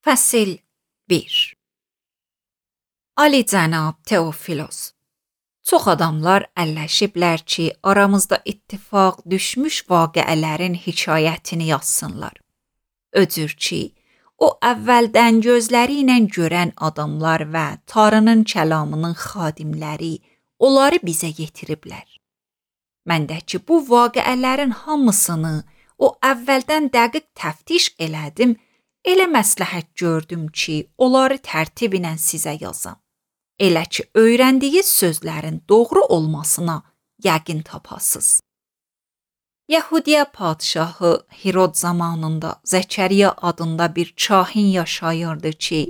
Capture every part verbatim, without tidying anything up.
Fəsil bir. Ali cənab Teofilos, çox adamlar əlləşiblər ki, aramızda ittifaq düşmüş vaqiələrin hekayətini yazsınlar. Öcür ki, o əvvəldən gözləri ilə görən adamlar və Tanrının kəlamının xadimləri onları bizə yetiriblər. Mən də ki, bu vaqiələrin hamısını o əvvəldən dəqiq təftiş elədim, elə məsləhət gördüm ki, onları tərtib ilə sizə yazam. Elə ki, öyrəndiyi sözlərin doğru olmasına yəqin tapasız. Yahudiya padşahı Hirod zamanında Zəkəriya adında bir kahin yaşayırdı ki,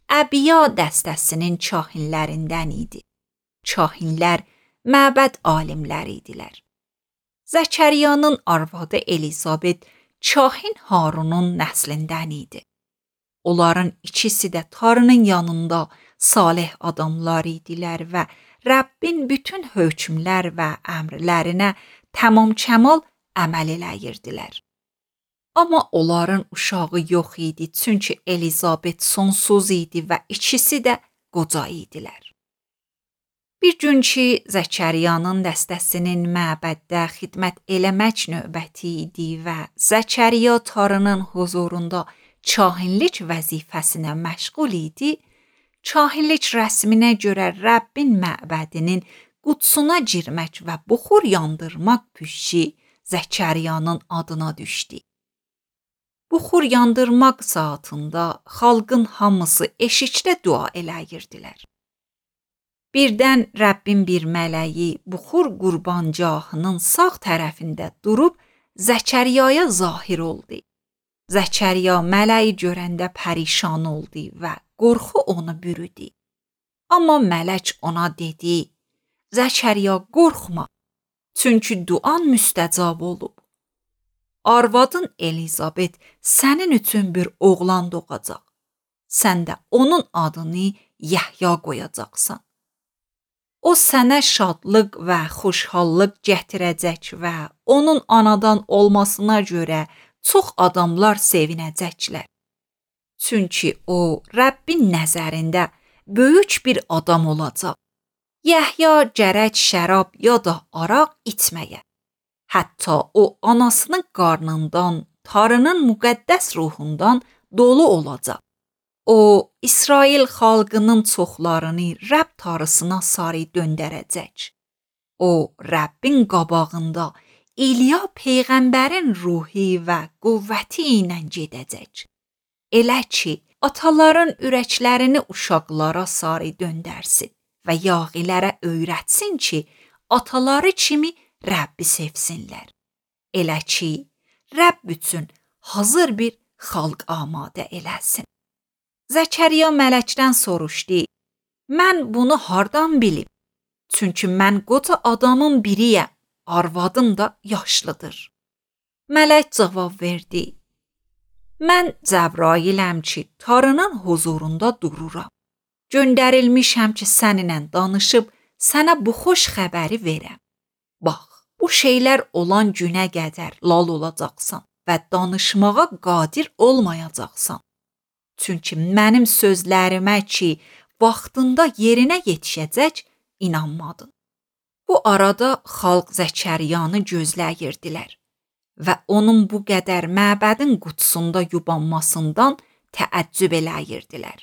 Əbiya dəstəsinin kahinlərindən idi. Kahinlər məbəd alimləri idilər. Zəkəriyanın arvadı Elizabet kahin Harunun nəslindən idi. Onların ikisi də Tanrının yanında salih adamlar idilər və Rəbbin bütün hökmlər və əmrlərinə tamam-kəmal əməl eləyirdilər. Amma onların uşağı yox idi, çünki Elizabet sonsuz idi və ikisi də qoca idilər. Bir gün ki, Zəkəriyanın dəstəsinin məbəddə xidmət eləmək növbəti idi və Zəkəriya Tanrının huzurunda kahinlik vəzifəsinə məşğul idi, kahinlik rəsminə görə Rəbbin məbədinin qudsuna girmək və buxur yandırmaq püşü Zəkəriyanın adına düşdü. Buxur yandırmaq saatında xalqın hamısı eşikdə dua eləyirdilər. Birdən Rəbbin bir mələyi buxur qurbancağının sağ tərəfində durub Zəkəriyaya zahir oldu. Zəkəriya mələyi görəndə pərişan oldu və qorxu onu bürüdü. Amma mələk ona dedi: Zəkəriya, qorxma, çünki duan müstəcab olub. Arvadın Elizabet sənin üçün bir oğlan doğacaq. Sən də onun adını Yəhya qoyacaqsan. O sənə şadlıq və xoşhallıq gətirəcək və onun anadan olmasına görə çox adamlar sevinəcəklər. Çünki o, Rəbbin nəzərində böyük bir adam olacaq. Yəhya gərək şərab ya da araq içməyə. Hətta o, anasının qarnından, Tanrının müqəddəs ruhundan dolu olacaq. O, İsrail xalqının çoxlarını Rəbb Tanrısına sarı döndərəcək. O, Rəbbin qabağında İliya peyğəmbərin ruhi və qüvvəti ilə gedəcək. Elə ki, ataların ürəklərini uşaqlara sarı döndərsin və yağilərə öyrətsin ki, ataları kimi Rəbbi sevsinlər. Elə ki, Rəbb üçün hazır bir xalq amadə eləsin. Zəkəriya mələkdən soruşdu: Mən bunu hardan bilim? Çünki mən qoca adamın biriyəm, arvadım da yaşlıdır. Mələk cavab verdi: Mən Cəbrailəm ki, Tanrının huzurunda dururam. Göndərilmişəm ki, səninlə danışıb sənə bu xoş xəbəri verəm. Bax, bu şeylər olan günə qədər lal olacaqsan və danışmağa qadir olmayacaqsan. Çünki mənim sözlərimə ki, vaxtında yerinə yetişəcək, inanmadın. Bu arada xalq Zəkəriyanı gözləyirdilər və onun bu qədər məbədin qudsunda yubanmasından təəccüb eləyirdilər.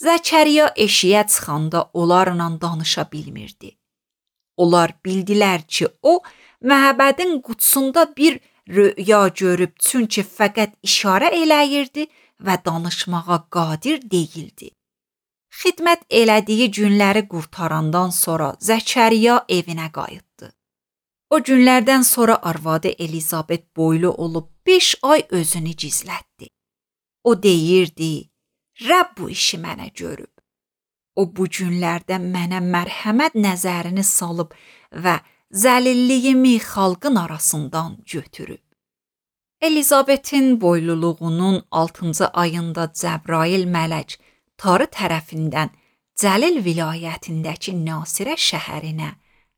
Zəkəriya eşiyə çıxanda onlarla danışa bilmirdi. Onlar bildilər ki, o, məbədin qudsunda bir röya görüb, çünki fəqət işarə eləyirdi və danışmağa qadir deyildi. Xidmət elədiyi günləri qurtarandan sonra Zəkəriya evinə qayıtdı. O günlərdən sonra arvadı Elizabet boylu olub beş ay özünü gizlətdi. O deyirdi: Rəbb bu işi mənə görüb. O bu günlərdə mənə mərhəmət nəzərini salıb və zəlilliyimi xalqın arasından götürüb. Elizabetin boyluluğunun altıncı ayında Cəbrail mələk Tarı tərəfindən Cəlil vilayətindəki Nasirə şəhərinə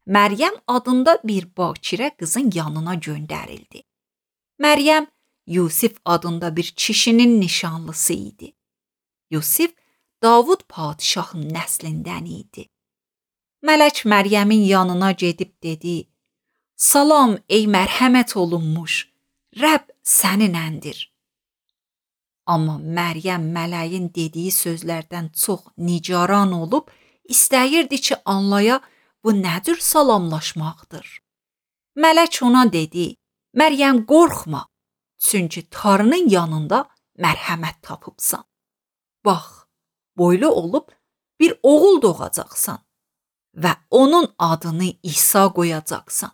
Məryəm adında bir bakirə qızın yanına göndərildi. Məryəm Yusif adında bir kişinin nişanlısı idi. Yusif Davud padişahın nəslindən idi. Mələk Məryəmin yanına gedib dedi: "Salam ey mərhəmət olunmuş, Rəbb səninəndir." Amma Məryəm mələyin dediyi sözlərdən çox nigaran olub, istəyirdi ki, anlaya bu nə cür salamlaşmaqdır. Mələk ona dedi: "Məryəm, qorxma, çünki Tanrının yanında mərhəmət tapıbsan. Bax, boylu olub bir oğul doğacaqsan və onun adını İsa qoyacaqsan.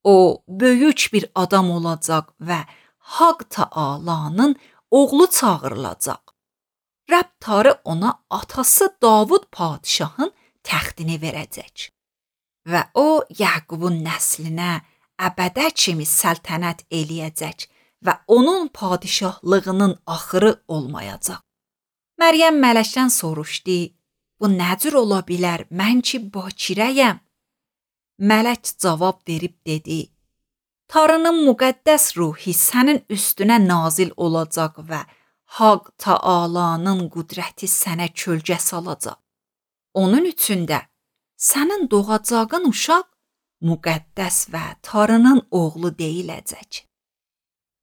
O, böyük bir adam olacaq və Haqq Taalanın oğlu çağırılacaq. Rəbb Tanrı ona atası Davud padişahın təxtini verəcək və o, Yaqubun nəslinə əbədə kimi səltənət eləyəcək və onun padişahlığının axırı olmayacaq." Məryəm mələkdən soruşdu: "Bu nə cür ola bilər, mən ki bakirəyəm?" Mələk cavab verib dedi: "Tanrının müqəddəs ruhi sənin üstünə nazil olacaq və Haqq Taalanın qüdrəti sənə kölgə salacaq. Onun üçün də sənin doğacağın uşaq müqəddəs və Tanrının oğlu deyiləcək.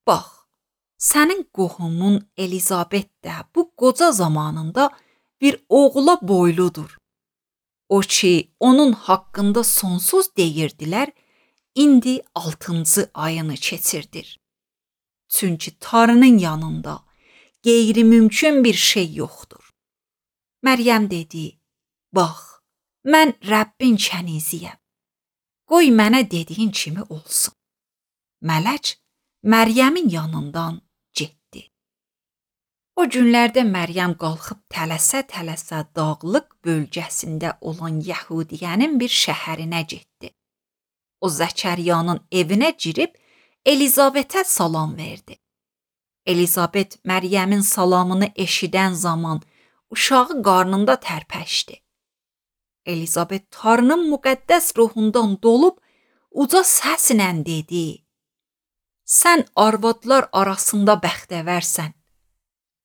Bax, sənin qohumun Elizabet də bu qoca zamanında bir oğula boyludur. O ki, onun haqqında sonsuz deyirdilər, indi altıncı ayını keçirdir. Çünki Tanrının yanında qeyri-mümkün bir şey yoxdur." Məryəm dedi: "Bax, mən Rəbbin kəniziyəm. Qoy mənə dediyin kimi olsun." Mələk Məryəmin yanından getdi. O günlərdə Məryəm qalxıb tələsə-tələsə dağlıq bölgəsində olan Yəhudiyənin bir şəhərinə getdi. O Zəkəriyanın evinə girib Elizabetə salam verdi. Elizabet Məryəmin salamını eşidən zaman uşağı qarnında tərpəşdi. Elizabet Tanrının müqəddəs ruhundan dolub uca səslə dedi: "Sən arvadlar arasında bəxtəvərsən.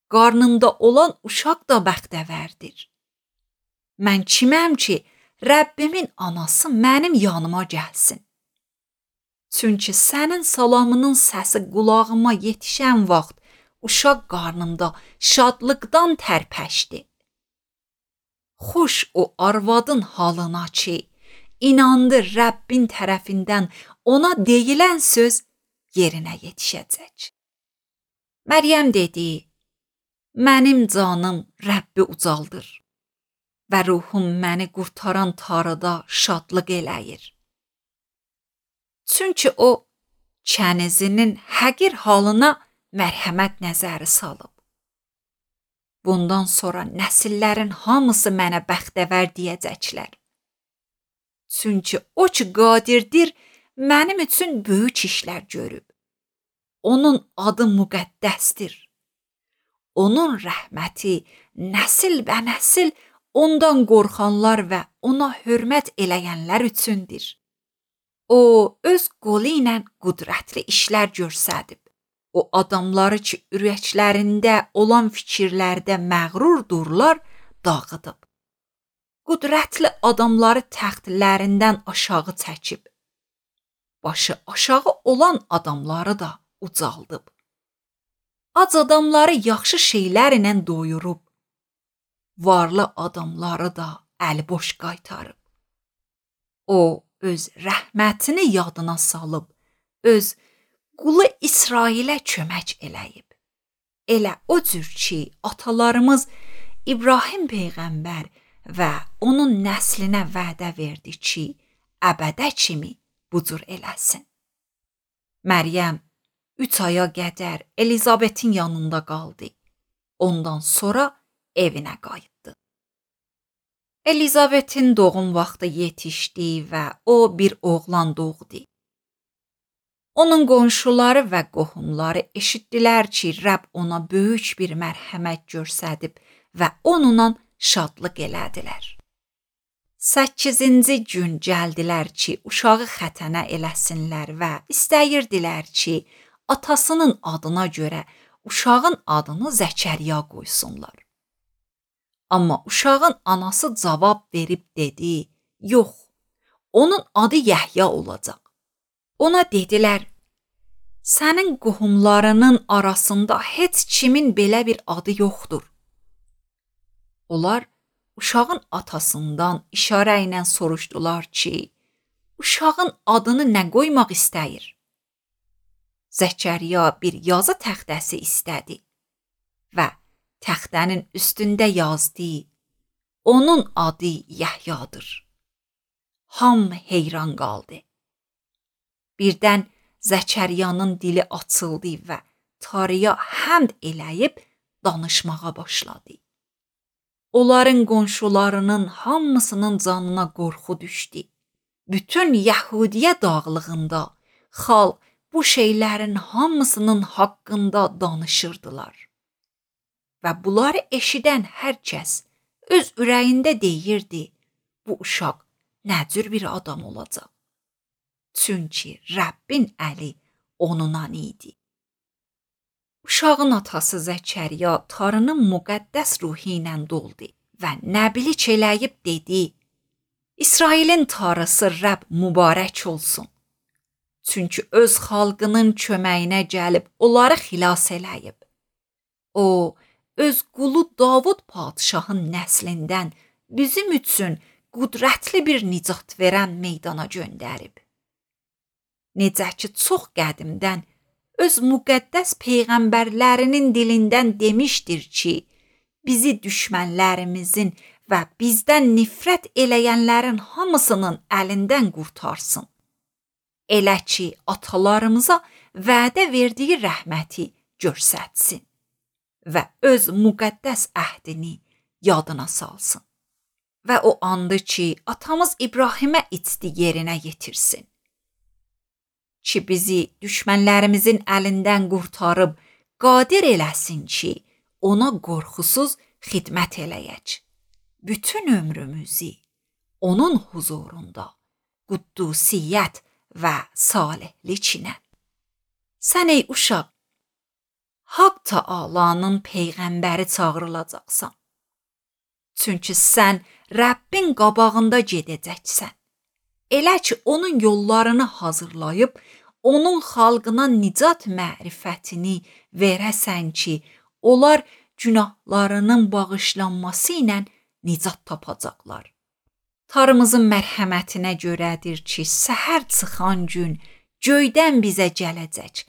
Qarnında olan uşaq da bəxtəvərdir. Mən kiməm ki, Rəbbimin anası mənim yanıma gəlsin? Çünki sənin salamının səsi qulağıma yetişən vaxt uşaq qarnımda şadlıqdan tərpəşdi. Xoş o arvadın halına ki, inandı Rəbbin tərəfindən ona deyilən söz yerinə yetişəcək." Məryəm dedi: "Mənim canım Rəbbi ucaldır və ruhum məni qurtaran Tanrıda şadlıq eləyir. Çünki o, kənizinin həqir halına mərhəmət nəzəri salıb. Bundan sonra nəsillərin hamısı mənə bəxtəvər deyəcəklər. Çünki o ki qadirdir, mənim üçün böyük işlər görüb. Onun adı müqəddəsdir. Onun rəhməti nəsil bə nəsil ondan qorxanlar və ona hörmət eləyənlər üçündür. O, öz qolu ilə qüdrətli işlər görsədib. O adamları ki, ürəklərində olan fikirlərdə məğrurdurlar, dağıdıb. Qüdrətli adamları təxtlərindən aşağı çəkib. Başı aşağı olan adamları da ucaldıb. Ac adamları yaxşı şeylər ilə doyurub. Varlı adamları da əliboş qaytarıb. O, öz rəhmətini yadına salıb, öz qulu İsrailə kömək eləyib. Elə o cür ki, atalarımız İbrahim peyğəmbər və onun nəslinə vədə verdi ki, əbədə kimi bu cür eləsin." Məryəm üç aya qədər Elizabetin yanında qaldı. Ondan sonra evinə qayıtdı. Elizabetin doğum vaxtı yetişdi və o bir oğlan doğdu. Onun qonşuları və qohumları eşitdilər ki, Rəbb ona böyük bir mərhəmət göstərib və onunla şadlıq elədilər. Səkkizinci gün gəldilər ki, uşağı xətənə eləsinlər və istəyirdilər ki, atasının adına görə uşağın adını Zəkəriya qoysunlar. Amma uşağın anası cavab verib dedi, yox, onun adı Yəhya olacaq. Ona dedilər, sənin qohumlarının arasında heç kimin belə bir adı yoxdur. Onlar uşağın atasından işarə ilə soruşdular ki, uşağın adını nə qoymaq istəyir? Zəkəriya bir yazı təxtəsi istədi və təxtənin üstündə yazdı, onun adı Yəhyadır. Hamı heyran qaldı. Birdən Zəkəriyanın dili açıldı və Tanrıya həmd eləyib danışmağa başladı. Onların qonşularının hamısının canına qorxu düşdü. Bütün Yəhudiyə dağlığında xalq bu şeylərin hamısının haqqında danışırdılar. Və bunları eşidən hər kəs öz ürəyində deyirdi, bu uşaq nə cür bir adam olacaq? Çünki Rəbbin əli onunla idi. Uşağın atası Zəkəriya Tanrının müqəddəs ruhu ilə doldu və nəbilik eləyib dedi, İsrailin Tanrısı Rəbb mübarək olsun. Çünki öz xalqının köməyinə gəlib onları xilas eləyib. O, öz qulu Davud padşahın nəslindən bizim üçün qüdrətli bir nicat verən meydana göndərib. Necə ki, çox qədimdən öz müqəddəs peyğəmbərlərinin dilindən demişdir ki, bizi düşmənlərimizin və bizdən nifrət eləyənlərin hamısının əlindən qurtarsın. Elə ki, atalarımıza vədə verdiyi rəhməti göstərsin və öz müqəddəs əhdini yadına salsın. Və o andı ki, atamız İbrahimə içdi yerinə yetirsin. Ki bizi düşmənlərimizin əlindən qurtarıb qadir eləsin ki, ona qorxusuz xidmət eləyək. Bütün ömrümüzü onun huzurunda quddusiyyət və salihliklə. Sən ey uşaq, Haqq Taalanın peyğəmbəri çağırılacaqsan. Çünki sən Rəbbin qabağında gedəcəksən. Elə ki, onun yollarını hazırlayıb, onun xalqına nicat mərifətini verəsən ki, onlar günahlarının bağışlanması ilə nicat tapacaqlar. Tanrımızın mərhəmətinə görədir ki, səhər çıxan gün göydən bizə gələcək.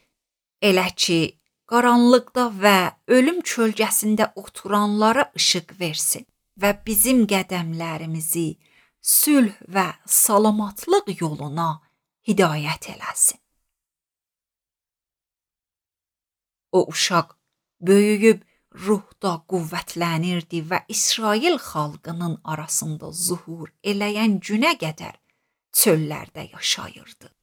Elə ki, qaranlıqda və ölüm kölgəsində oturanlara işıq versin və bizim qədəmlərimizi sülh və salamatlıq yoluna hidayət eləsin. O uşaq böyüyüb ruhda qüvvətlənirdi və İsrail xalqının arasında zuhur eləyən günə qədər çöllərdə yaşayırdı.